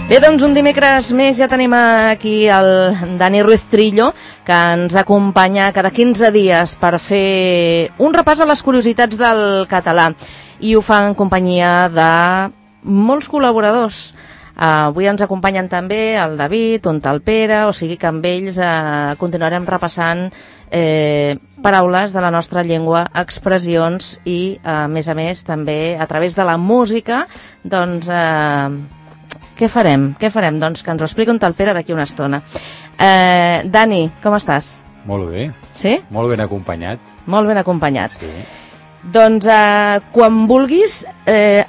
Bé, doncs un dimecres més ja tenim aquí el Dani Ruiz Trillo, que ens acompanya cada 15 dies per fer un repàs a les curiositats del català. I ho fa en companyia de molts col·laboradors. Avui ens acompanyen també el David, el Pere, o sigui que amb ells continuarem repassant paraules de la nostra llengua, expressions i, a més, també a través de la música, doncs... Què farem? Doncs que ens ho expliqui el Pere d'aquí una estona. Dani, com estàs? Molt bé. Sí? Molt ben acompanyat. Molt ben acompanyat. Sí. Doncs quan vulguis,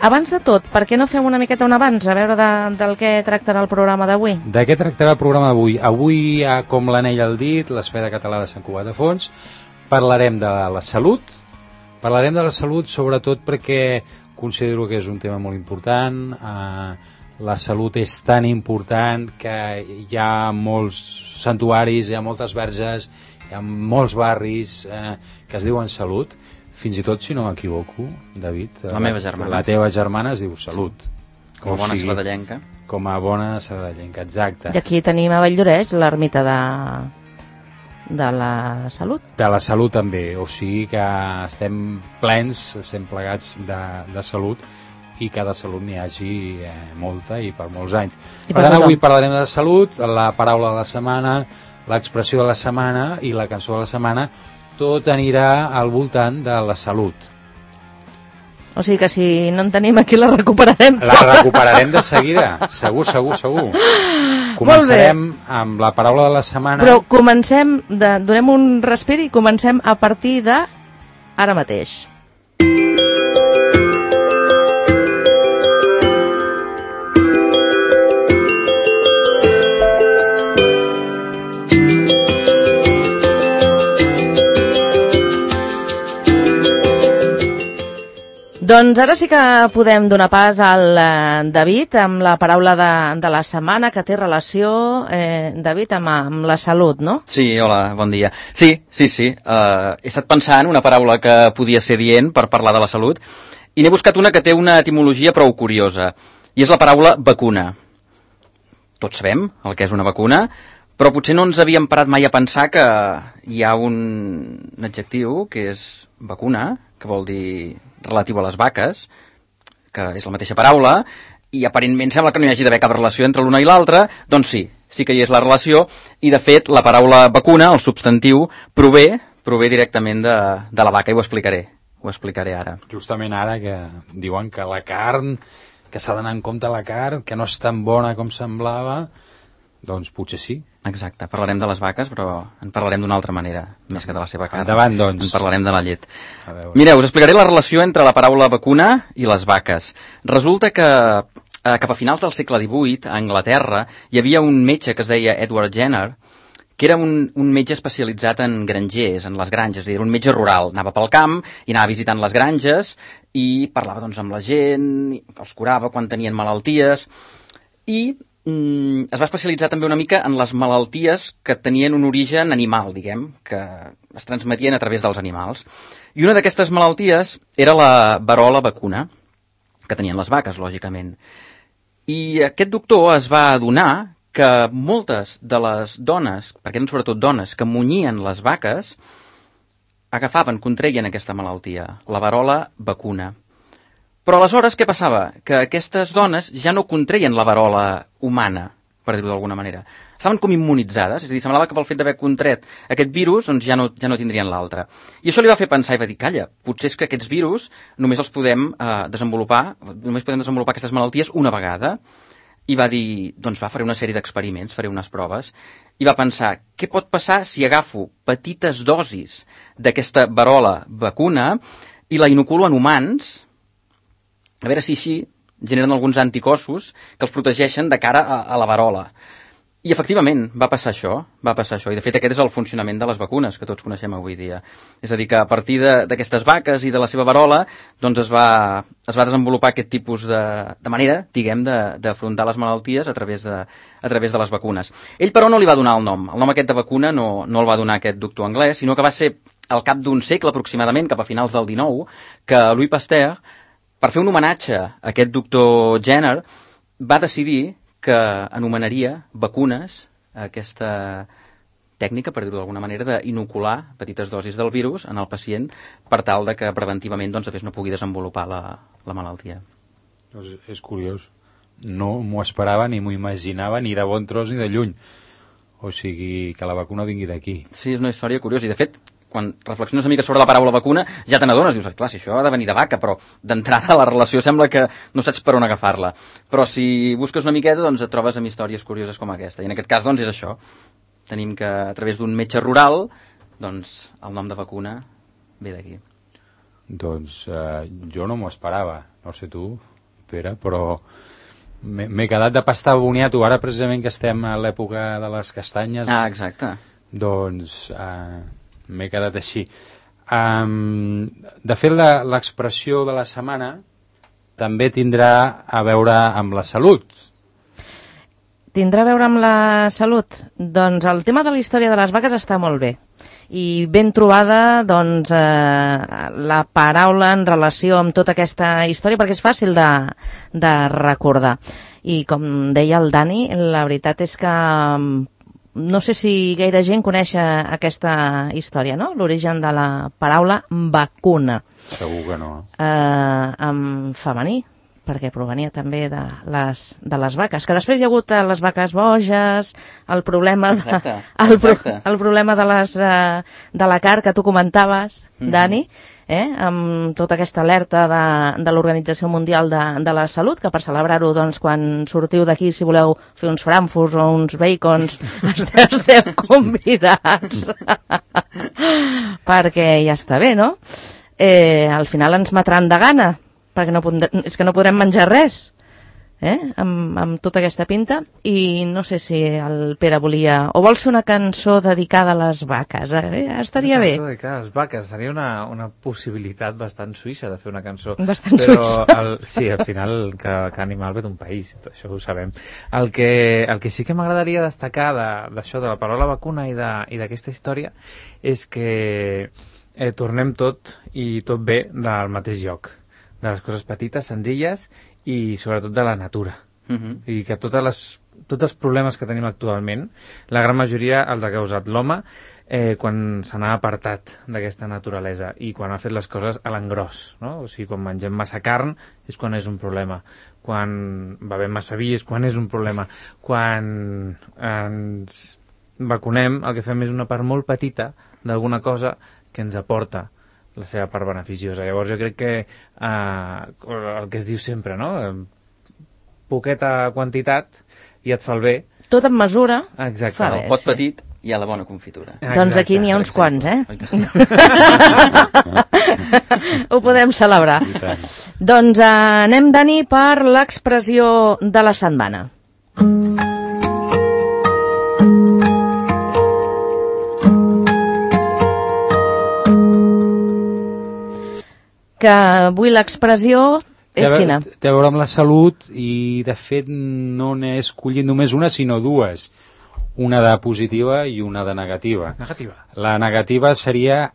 abans de tot, per què no fem una miqueta un abans, a veure del què tractarà el programa d'avui? De què tractarà el programa d'avui? Avui, com l'anell al dit, l'Espai de Català de Sant Cugat de Fons, parlarem de la salut. Parlarem de la salut sobretot perquè considero que és un tema molt important. La salut és tan important que hi ha molts santuaris, hi ha moltes verges, hi ha molts barris que es diuen Salut. Fins i tot, si no m'equivoco, David, la meva germana. La teva germana es diu Salut. Com a bona sabadellenca. Com a bona sabadellenca, exacte. I aquí tenim a Valldoreix l'ermita de la Salut. De la Salut també, o sigui que estem plens, estem plegats de salut, i que de salut n'hi hagi molta i per molts anys. Per tant, avui parlarem de salut, la paraula de la setmana, l'expressió de la setmana i la cançó de la setmana. Tot anirà al voltant de la salut. O sigui que si no en tenim aquí la recuperarem. La recuperarem de seguida, segur. Començarem amb la paraula de la setmana. Però donem un respir i comencem a partir de ara mateix. Doncs ara sí que podem donar pas al David amb la paraula de la setmana que té relació, David, amb la salut, no? Sí, hola, bon dia. Sí. He estat pensant una paraula que podia ser dient per parlar de la salut i n'he buscat una que té una etimologia prou curiosa i és la paraula vacuna. Tots sabem el que és una vacuna, però potser no ens havíem parat mai a pensar que hi ha un adjectiu que és vacuna, que vol dir relatiu a les vaques, que és la mateixa paraula, i aparentment sembla que no hi hagi d'haver cap relació entre l'una i l'altra. Doncs sí que hi és la relació, i de fet la paraula vacuna, el substantiu, prové directament de la vaca, i ho explicaré ara. Justament ara que diuen que la carn, que s'ha d'anar en compte la carn, que no és tan bona com semblava, doncs potser sí. Exacte, parlarem de les vaques, però en parlarem d'una altra manera, més que de la seva carn. Endavant, doncs. En parlarem de la llet. Mireu, us explicaré la relació entre la paraula vacuna i les vaques. Resulta que cap a finals del segle XVIII, a Anglaterra, hi havia un metge que es deia Edward Jenner, que era un metge especialitzat en grangers, en les granges, era un metge rural. Anava pel camp i anava visitant les granges i parlava doncs, amb la gent, els curava quan tenien malalties, i es va especialitzar també una mica en les malalties que tenien un origen animal, diguem, que es transmetien a través dels animals. I una d'aquestes malalties era la verola vacuna, que tenien les vaques, lògicament. I aquest doctor es va adonar que moltes de les dones, perquè eren sobretot dones, que munyien les vaques, contraien aquesta malaltia, la verola vacuna. Però aleshores què passava? Que aquestes dones ja no contreien la verola humana, per dir-ho d'alguna manera. Estaven com immunitzades, és a dir, semblava que pel fet d'haver contret aquest virus doncs ja no tindrien l'altre. I això li va fer pensar i va dir, calla, potser és que aquests virus només els podem desenvolupar aquestes malalties una vegada. I va dir, doncs faré una sèrie d'experiments, faré unes proves, i va pensar, què pot passar si agafo petites dosis d'aquesta verola vacuna i la inoculo en humans, a veure si així generen alguns anticossos que els protegeixen de cara a la verola. I efectivament va passar això, i de fet aquest és el funcionament de les vacunes que tots coneixem avui dia. És a dir, que a partir d'aquestes vaques i de la seva verola doncs es va desenvolupar aquest tipus de manera, diguem, d'afrontar les malalties a través de les vacunes. Ell, però, no li va donar el nom. El nom aquest de vacuna no el va donar aquest doctor anglès, sinó que va ser al cap d'un segle aproximadament, cap a finals del XIX, que Louis Pasteur, per fer un homenatge a aquest doctor Jenner, va decidir que anomenaria vacunes aquesta tècnica, per dir-ho d'alguna manera, d'inocular petites dosis del virus en el pacient per tal de que preventivament doncs, no pugui desenvolupar la malaltia. Doncs és curiós. No m'ho esperava, ni m'ho imaginava, ni de bon tros ni de lluny. O sigui, que la vacuna vingui d'aquí. Sí, és una història curiosa. I, de fet, quan reflexiones una mica sobre la paraula vacuna, ja te n'adones, dius, clar, si això ha de venir de vaca, però d'entrada la relació sembla que no saps per on agafar-la. Però si busques una miqueta, doncs et trobes amb històries curioses com aquesta. I en aquest cas, doncs, és això. Tenim que, a través d'un metge rural, doncs, el nom de vacuna ve d'aquí. Doncs jo no m'ho esperava. No sé tu, Pere, però m'he quedat de pastar boniato. Ara, precisament, que estem a l'època de les castanyes... Ah, exacte. Doncs m'he quedat així. De fet, l'expressió de la setmana també tindrà a veure amb la salut. Tindrà a veure amb la salut? Doncs el tema de la història de les vaques està molt bé. I ben trobada, doncs, la paraula en relació amb tota aquesta història, perquè és fàcil de recordar. I com deia el Dani, la veritat és que no sé si gaire gent coneix aquesta història, no? L'origen de la paraula vacuna. Segur que no. En femení, perquè provenia també de les vaques, que després hi ha hagut les vaques boges, el problema el problema de la carn que tu comentaves, Dani, amb tota aquesta alerta de l'Organització Mundial de la Salut, que per celebrar-ho, doncs, quan sortiu d'aquí, si voleu fer uns frankfurts o uns bacons, esteu convidats, perquè ja està bé, no? Al final ens matran de gana, perquè és que no podrem menjar res amb tota aquesta pinta. I no sé si el Pere volia... O vols fer una cançó dedicada a les vaques? Estaria bé. Una cançó dedicada a les vaques. Seria una possibilitat bastant suïssa de fer una cançó. Bastant suïssa. Sí, al final cada animal ve d'un país, això ho sabem. El que sí que m'agradaria destacar d'això, de la paraula vacuna i d'aquesta història, és que tornem tot i tot ve del mateix lloc, de les coses petites, senzilles i sobretot de la natura. I que tots els problemes que tenim actualment, la gran majoria els ha causat l'home quan se n'ha apartat d'aquesta naturalesa i quan ha fet les coses a l'engròs, no? O sigui, quan mengem massa carn és quan és un problema, quan bevem massa vi és quan és un problema, quan ens vacunem el que fem és una part molt petita d'alguna cosa que ens aporta la seva part beneficiosa. Llavors jo crec que el que es diu sempre, no? Poqueta quantitat i et fa el bé. Tot en mesura. Exacte. Fa bé, el pot petit i a la bona confitura. Doncs aquí n'hi ha uns quants, Ho podem celebrar. Doncs anem, Dani, per l'expressió de la setmana. Que avui l'expressió és quina? Té a veure amb la salut i, de fet, no n'he escollit només una, sinó dues. Una de positiva i una de negativa. Negativa. La negativa seria,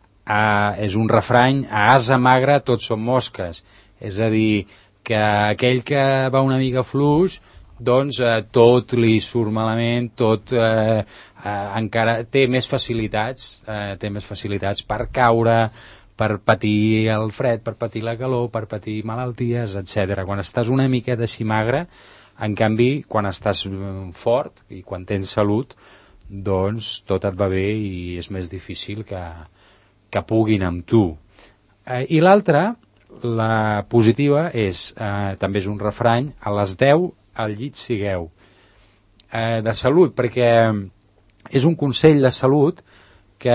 és un refrany, a ase magre tots són mosques. És a dir, que aquell que va una mica fluix, doncs tot li surt malament, tot encara té més facilitats per caure, per patir el fred, per patir la calor, per patir malalties, etc. Quan estàs una miqueta així magre, en canvi, quan estàs fort i quan tens salut, doncs tot et va bé i és més difícil que puguin amb tu. I l'altra, la positiva, també és un refrany, a les 10 al llit sigueu. De salut, perquè és un consell de salut que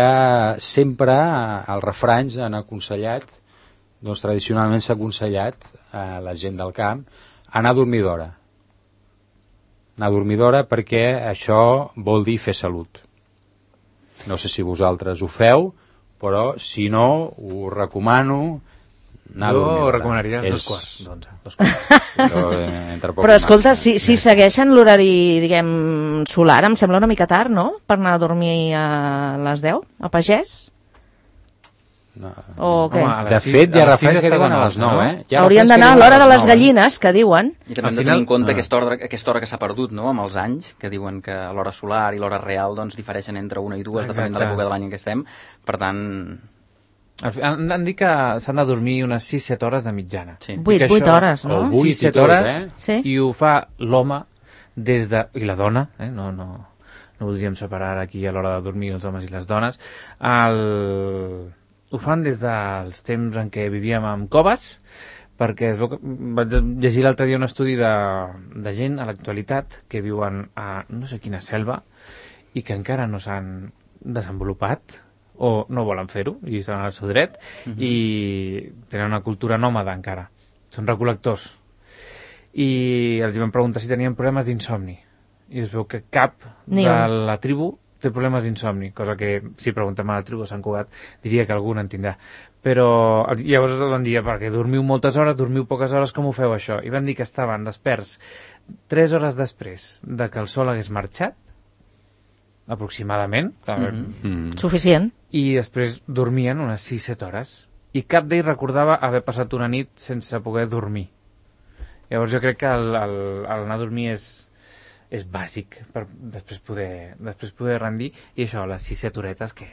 sempre els refranys han aconsellat, doncs tradicionalment s'ha aconsellat a la gent del camp anar a dormir d'hora. Anar a dormir d'hora perquè això vol dir fer salut. No sé si vosaltres ho feu, però si no, ho recomano anar a dormir d'hora. Jo recomanaria els 2:15, 2:15. Però escolta, si segueixen l'horari, diguem, solar, em sembla una mica tard, no?, per anar a dormir a les 10, a pagès? No. O què? Home, De fet, hi ha referents que diuen a les 9, eh? Hi ha Haurien referents que d'anar a diuen l'hora de les les 9, gallines, que diuen. I també hem de tenir en compte aquesta hora que s'ha perdut, no?, amb els anys, que diuen que l'hora solar i l'hora real doncs difereixen entre una i dues, depenent de l'època de l'any en què estem. Per tant... Han dit que s'han de dormir unes 6-7 hores de mitjana. Sí. 8 hores, no? O 8 i 6-7 tot, hores, Sí. i ho fa l'home des de... i la dona, no voldríem separar aquí a l'hora de dormir els homes i les dones. Ho fan des dels temps en què vivíem en coves, perquè es veu que vaig llegir l'altre dia un estudi de gent a l'actualitat que viuen a no sé quina selva i que encara no s'han desenvolupat o no volen fer-ho i estan al seu dret i tenen una cultura nòmada encara, són recol·lectors, i els van preguntar si tenien problemes d'insomni i es veu que cap Ni de un. la tribu té problemes d'insomni, cosa que si preguntem a la tribu de Sant Cugat diria que algun en tindrà, però llavors van dir, perquè dormiu moltes hores, dormiu poques hores, com ho feu això? I van dir que estaven desperts 3 hores després de que el sol hagués marxat, aproximadament, Suficient. i després dormien unes 6-7 hores i cap d'ells recordava haver passat una nit sense poder dormir. Llavors jo crec que l'anar a dormir és bàsic per després poder rendir, i això, les 6-7 horetes que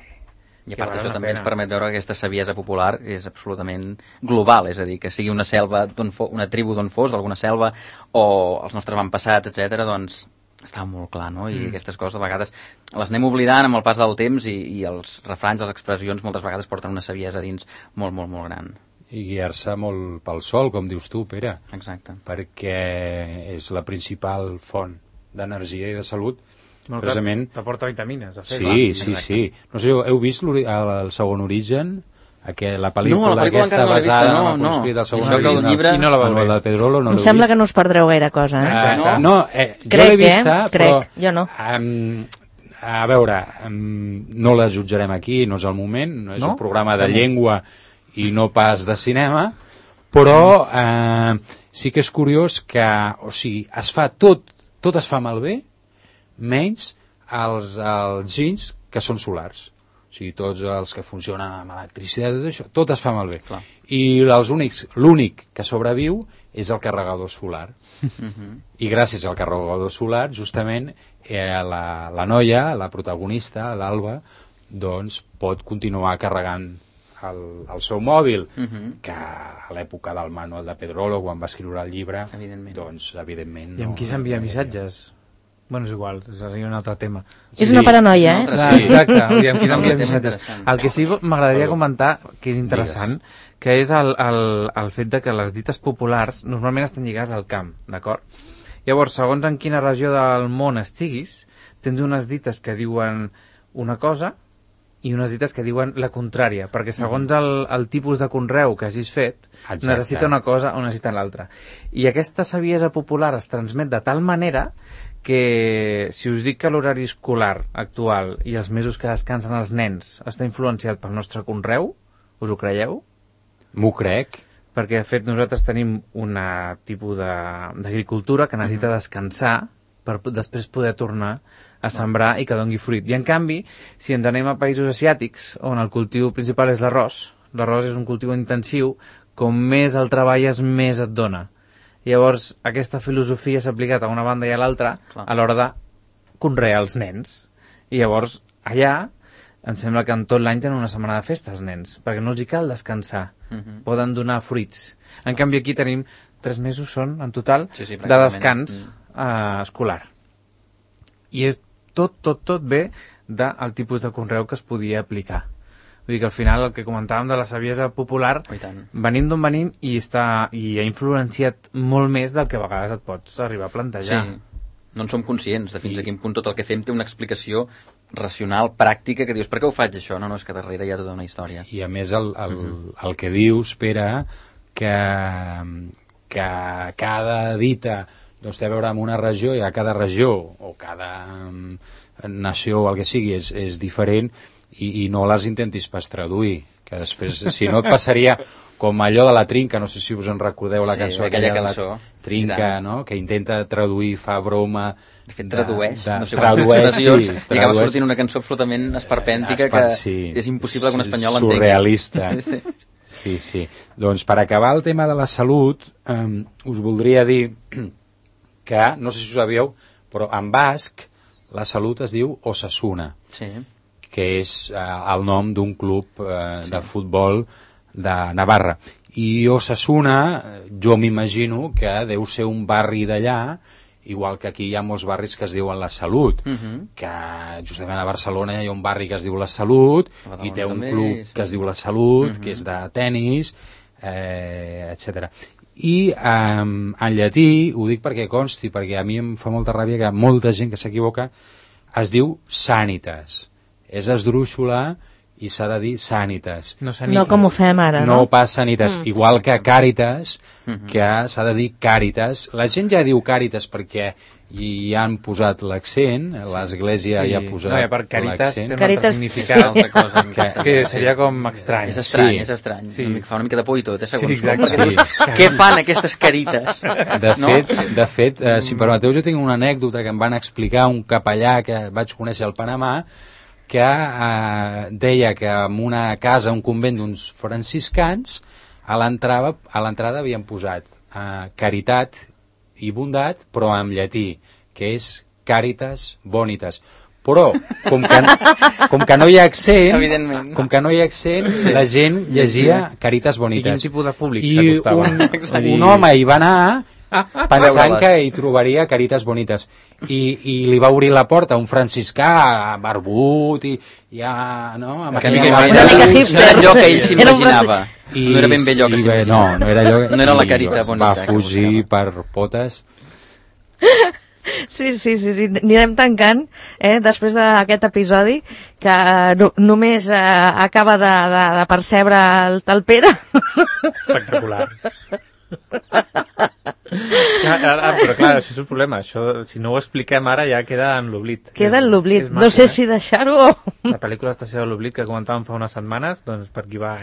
I a part d'això també ens permet veure que aquesta saviesa popular és absolutament global, és a dir, que sigui una selva, una tribu d'on fos, d'alguna selva, o els nostres avantpassats, etc., doncs està molt clar, no? I aquestes coses a vegades les anem oblidant amb el pas del temps i els refranys, les expressions moltes vegades porten una saviesa dins molt, molt, molt gran. I guiar-se molt pel sol, com dius tu, Pere. Exacte. Perquè és la principal font d'energia i de salut. Molt Precisament... t'aporta vitamines, de fet. Sí. No sé, heu vist el segon origen? La pel·lícula, No, la pel·lícula aquesta encara no l'he basada vista, en no, el manuscrit del segon Això que el origen. llibre- I no la vau Manuel veure. de Pedrolo, no Em l'heu sembla vist? que no us perdreu gaire cosa, eh? Exacte. No, jo Crec, l'he vista, però... Crec, jo no. A veure, no la jutjarem aquí, no és el moment, no és No? un programa de llengua i no pas de cinema, però sí que és curiós que, o sigui, es fa tot es fa malbé, menys els ginys que són solars. O sigui, tots els que funcionen amb electricitat, tot això, tot es fa malbé. Clar. I l'únic que sobreviu és el carregador solar. I gràcies al carregador solar, justament, la noia, la protagonista, l'Alba, doncs pot continuar carregant el seu mòbil, que a l'època del Manuel de Pedrolo, quan va escriure el llibre, Evidentment. doncs evidentment I amb qui s'envia missatges? Bueno, és igual, seria un altre tema. És una paranoia, eh? Sí. Exacte, i amb qui s'envia Un tema missatges. interessant. El que sí m'agradaria comentar, que és interessant, que és el fet de que les dites populars normalment estan lligades al camp, d'acord? Llavors, segons en quina regió del món estiguis, tens unes dites que diuen una cosa i unes dites que diuen la contrària, perquè segons el tipus de conreu que hagis fet, Exacte. necessita una cosa o necessita l'altra. I aquesta saviesa popular es transmet de tal manera que si us dic que l'horari escolar actual i els mesos que descansen els nens està influenciat pel nostre conreu, us ho creieu? M'ho crec. Perquè, de fet, nosaltres tenim un tipus d'agricultura que necessita descansar per després poder tornar a sembrar i que doni fruit. I, en canvi, si ens anem a països asiàtics, on el cultiu principal és l'arròs és un cultiu intensiu, com més el treballes, més et dona. Llavors, aquesta filosofia s'ha aplicat a una banda i a l'altra a l'hora de conrear els nens. I llavors, allà, em sembla que en tot l'any tenen una setmana de festa els nens, perquè no els hi cal descansar. Poden donar fruits. En canvi, aquí tenim 3 mesos, són, en total, de descans escolar. I és tot ve del tipus de conreu que es podia aplicar. Vull dir que al final el que comentàvem de la saviesa popular, venim d'on venim i ha influenciat molt més del que a vegades et pots arribar a plantejar. Sí, no en som conscients de fins a quin punt tot el que fem té una explicació racional, pràctica, que dius, per què ho faig això? No, és que darrere hi ha tota una història. I a més el que dius, Pere, que cada dita doncs, té a veure amb una regió i a cada regió o cada nació o el que sigui és diferent i no les intentis pas traduir. que després, si no et passaria com allò de la Trinca, no sé si us en recordeu la cançó, aquella de la cançó. Trinca, no? Que intenta traduir, fa broma... De fet, tradueix, no sé tradueix, traduccions, sí, i acaba sortint una cançó absolutament esperpèntica que és impossible que un espanyol l'entengui. Surrealista. Sí. Doncs per acabar el tema de la salut, us voldria dir que, no sé si ho sabíeu, però en basc la salut es diu Osasuna, que és el nom d'un club de futbol de Navarra. I Osasuna, jo m'imagino que deu ser un barri d'allà, igual que aquí hi ha molts barris que es diuen La Salut, que justament a Barcelona hi ha un barri que es diu La Salut, i té un club que es diu La Salut, que és de tennis, etc. I en llatí, ho dic perquè consti, perquè a mi em fa molta ràbia que molta gent que s'equivoca, es diu Sanitas. És esdrúixola i s'ha de dir Sanitas. No com ho fem ara, no? No pas Sanitas. Igual que Càritas, que s'ha de dir Càritas. La gent ja diu Càritas perquè hi han posat l'accent, l'Església hi ha posat per Càritas l'accent. té un altre significat, altra cosa, que seria com estrany. És estrany, és estrany. Fa una mica de por i tot, segons. Sí, exacte. Què fan aquestes carites? De fet, si em permeteu, jo tinc una anècdota que em van explicar un capellà que vaig conèixer al Panamà, que deia que en una casa, un convent d'uns franciscans, a l'entrada havien posat caritat i bondat, però en llatí, que és Caritas Bonitas. Però, com que no hi ha accent, la gent llegia Caritas Bonitas. I quin tipus de públic s'acostava? I un home hi va anar pensant que hi trobaria Caritas Bonitas i li va obrir la porta a un franciscà barbut i ja, no? Una mica hipster. No era allò que ell s'imaginava. No era ben bé allò que s'imaginava. No era allò. No era la Carita Bonita. Va fugir per potes. Sí, anirem tancant després d'aquest episodi que només acaba de percebre el Pere. Espectacular. Però clar, això és el problema, això, si no ho expliquem ara ja queda en l'oblit. Queda en l'oblit, no sé si deixar-ho o... La pel·lícula Estació de l'oblit que comentàvem fa unes setmanes, doncs per aquí va,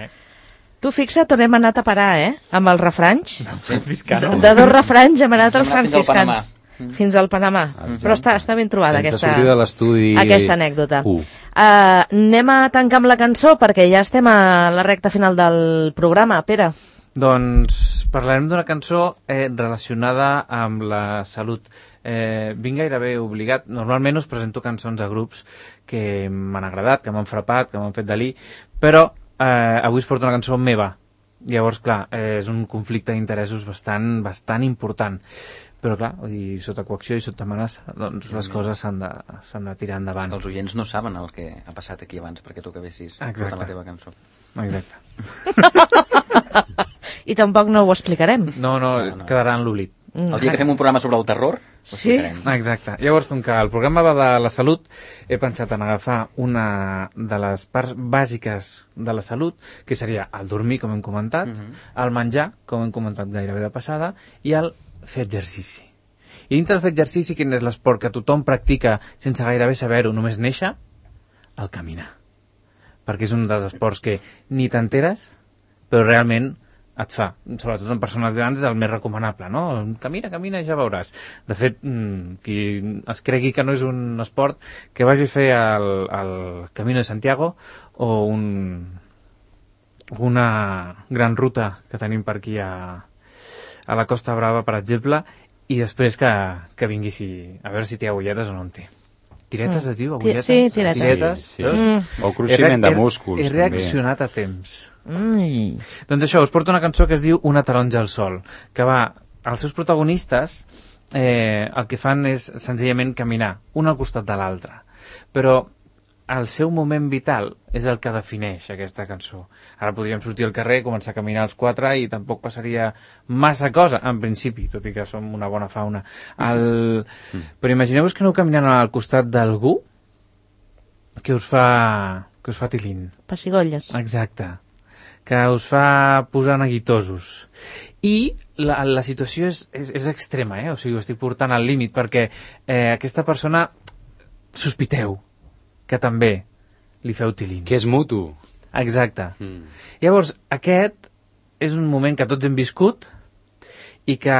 Tu fixa't on hem anat a parar, amb els refranys. Franciscano. De 2 refranys hem anat als franciscans. Fins al Panamà. Però està ben trobada aquesta anècdota. Anem a tancar amb la cançó perquè ja estem a la recta final del programa. Pere. Doncs parlarem d'una cançó relacionada amb la salut. Vinc gairebé obligat. Normalment us presento cançons a grups que m'han agradat, que m'han frapat, que m'han fet delir, però avui us porto una cançó meva. Llavors, clar, és un conflicte d'interessos bastant important. Però clar, sota coacció i sota amenaça, doncs les coses s'han de tirar endavant. Els oients no saben el que ha passat aquí abans perquè tu acabessis portant la teva cançó. Exacte. I tampoc no ho explicarem. No, quedarà en l'oblit. El dia que fem un programa sobre el terror, ho explicarem. Exacte. Llavors, com que el programa va de la salut, he pensat en agafar una de les parts bàsiques de la salut, que seria el dormir, com hem comentat, el menjar, com hem comentat gairebé de passada, i el fer exercici. I dintre del fer exercici, quin és l'esport que tothom practica sense gairebé saber-ho, només néixer? El caminar. Perquè és un dels esports que ni t'enteres, però realment et fa, sobretot en persones grans, és el més recomanable, no? Camina i ja veuràs. De fet, qui es cregui que no és un esport, que vagi a fer el Camino de Santiago o una gran ruta que tenim per aquí a la Costa Brava, per exemple, i després que vinguis a veure si té agulletes o no en té. Tiretes es diu? Agulletes? Sí, tiretes. Sí. O cruiximent de músculs. He reaccionat a temps. Doncs això, us porto una cançó que es diu Una taronja al sol, que els seus protagonistes el que fan és senzillament caminar, un al costat de l'altre. Però el seu moment vital és el que defineix aquesta cançó. Ara podríem sortir al carrer, començar a caminar els 4 i tampoc passaria massa cosa, en principi, tot i que som una bona fauna. Però imagineu-vos que aneu caminant al costat d'algú que us fa tilín. Pessigolles. Exacte. Que us fa posar neguitosos. I la situació és extrema, o sigui, ho estic portant al límit, perquè aquesta persona sospiteu que també li feu tilín. Que és mutu. Exacte. Llavors, aquest és un moment que tots hem viscut i que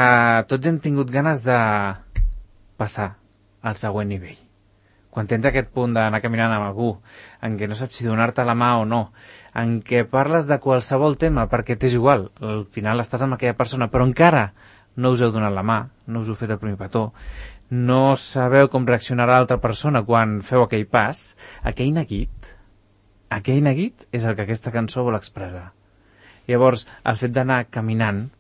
tots hem tingut ganes de passar al següent nivell. Quan tens aquest punt d'anar caminant amb algú, en què no saps si donar-te la mà o no, en què parles de qualsevol tema perquè t'és igual, al final estàs amb aquella persona, però encara no us heu donat la mà, no us heu fet el primer petó, no sabeu com reaccionarà l'altra persona quan feu aquell pas, aquell neguit és el que aquesta cançó vol expressar. Llavors, el fet d'anar caminant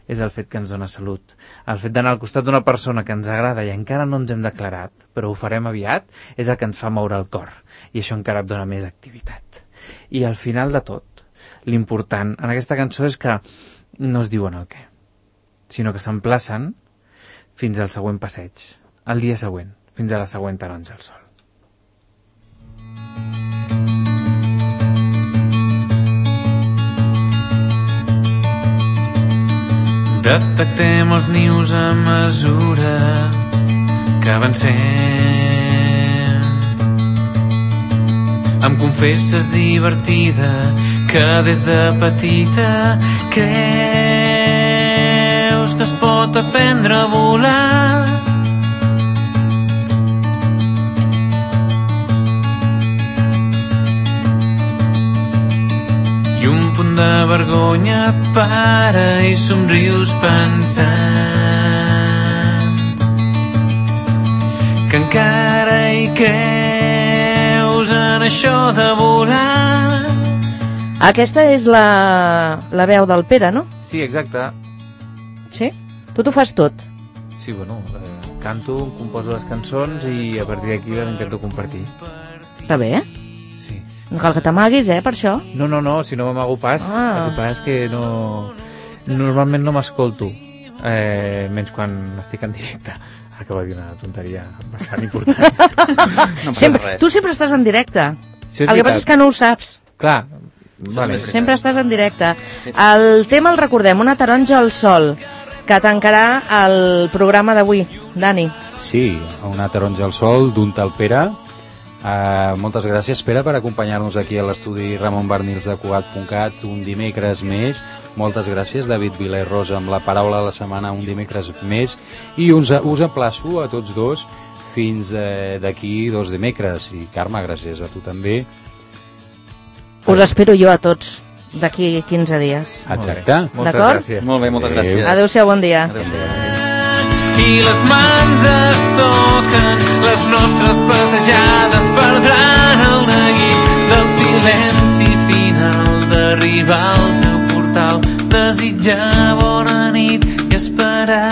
és el fet que ens dona salut. El fet d'anar al costat d'una persona que ens agrada i encara no ens hem declarat, però ho farem aviat, és el que ens fa moure el cor. I això encara et dona més activitat. I al final de tot, l'important en aquesta cançó és que no es diuen el què, sinó que s'emplacen fins al següent passeig, al dia següent, fins a la següent taronja al sol. Detectem els nius a mesura que avancem. Em confesses divertida que des de petita creus que es pot aprendre a volar. I un punt de vergonya et para i somrius pensant que encara hi creus en això de volar. Aquesta és la veu del Pere, no? Sí, exacte. Sí? Tu t'ho fas tot? Sí, bueno, canto, composo les cançons i a partir d'aquí les intento compartir. Està bé, Sí. No cal que t'amaguis, per això. No, si no m'amago pas. El que passa és que no... Normalment no m'escolto, menys quan estic en directe. Acabo de dir una tonteria bastant important. No passa res. Tu sempre estàs en directe. Sí, El que passa és que no ho saps. Clar, vale. Sempre estàs en directe. El tema el recordem, una taronja al sol, que tancarà el programa d'avui. Dani. Sí, una taronja al sol d'un tal Pere. Moltes gràcies, Pere, per acompanyar-nos aquí a l'estudi Ramon Barnils de Cugat.cat un dimecres més. Moltes gràcies, David Vila i Rosa, amb la paraula de la setmana un dimecres més. I us emplaço a tots dos fins d'aquí 2 dimecres. I Carme, gràcies a tu també. Us espero jo a tots d'aquí 15 dies. Exacte. Moltes D'acord? gràcies. Molt bé, moltes gràcies. Adéu-siau, bon dia. I les mans es toquen, les nostres passejades perdran el neguit del silenci final d'arribar al teu portal, desitjar bona nit i esperar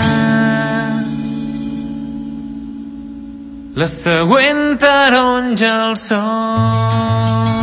la següent taronja al sol.